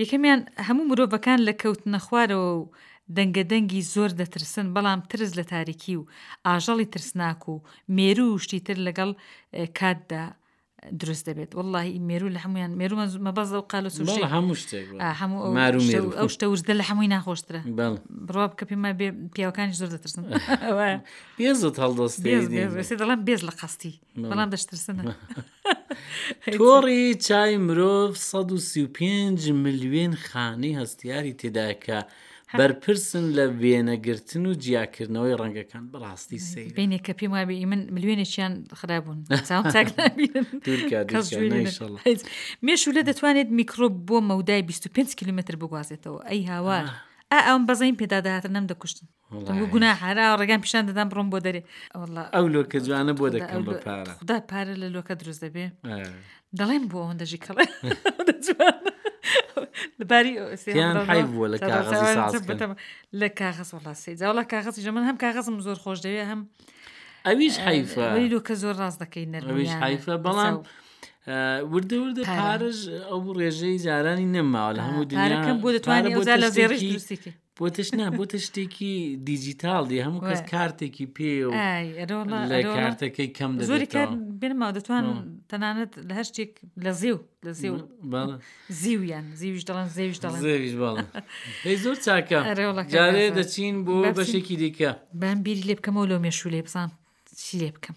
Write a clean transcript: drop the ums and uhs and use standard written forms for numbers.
یەکەمیان هەموو مرۆڤەکان لە کەوتنە خوارەوە و دەنگە دەنگی زۆر دەترسن بەڵام ترس لە تاریکی و ئاژەڵی ترسناک و مێروو و شتی تر لەگەڵ کاتدا دروست دەبێت وەڵاهی مێروو لە هەموویان مێروو مەبەست ئەو قالە سوشی بەڵێ هەموو شتێک بەڵێ. ئا، هەموو ئەو مار و شتە مێروو. ئەو شتە وردە لە هەمووی ناخۆشترە بەڵێ. بڕوا بکە پێم وایە بێ پیاوەکانیش زۆر دەترسن وایە. بێزت هەڵدەستێ بێز ئیدی. بێز ئێستا دەڵێم بێز لە قەستی بەڵێ. بەڵام دەشترسن تۆڕی چای مرۆڤ 135 ملیۆن خانەی هەستیاری تێدایە کە بەرپرسن لە وێنەگرتن و جیاکردنەوەی ڕەنگەکان بەڕاستی سەیرە. بینێ کە پێم وابێ ئی من ملیۆنێکیان خرابوون چاوم چاک نابینن دوورکە کەس دوورکە گوێی لێ نە- نەیشەڵا. هیچ. مێشولە دەتوانێت میکرۆب بۆ مەودای 25 کیلومتر بگوازێتەوە ئەی هاوار ئا ئەوم بەزەیم پێدا دەهاتن نەمدەکوشتن وەڵای. گوناح هەر ئاوا ڕێگام پیشان دەدان بڕۆم بۆ دەرێ وەڵا ئەو لۆکە جوانە بۆ خودا دەکەم ئەو بە لۆ- پارە خودا پارە لە لۆکە دروست دەبێ ئا. دەڵێم بۆ ئەوەندە ژیکەڵە ئەوەندە جوانە لەباری پێیان حەیف بووە لە کاغەزی ساز کەن. لە کاغەز وەڵا سەی جا وەڵا کاغەزیش من هەم کاغەزم زۆر خۆش دەوێ هەم ئەویش حەیفە وەلی لۆکە زۆر ڕاست دەکەی ئەویش نەرمیانە حەیفە بەڵام لەچاو وردە وردە پارە. پارەش ئەو ڕێژەی جارانی نەماوە لە هەموو دنیا پارەکەم بۆ پارە دەتوانێت بۆتە ئەوجا لە زێڕیش شتێکی دروستی کەی بۆتەش نا بۆتە شتێکی دیجیتاڵ دی هەموو کەس وایە. کارتێکی پێ و ئای ئەرۆڵا لە ئەرۆڵا کارتەکەی کەم زۆری کار دەبێتەوە بێنماوە دەتوان بەڵێ. تەنانەت لە هەر شتێک لە زێو لە زێو بەڵێ زیویان زیویش دەڵێن زێویش دەڵێن زێویش بەڵێ دەی زۆر چاکە ئەرێ وەڵا کاک جارێ ئازاد. دەچین بۆ با بچین. بەشێکی دیکە بام بیری لێ بکەمەوە لەو مێشوولەی بزانم چی لێ بکەم.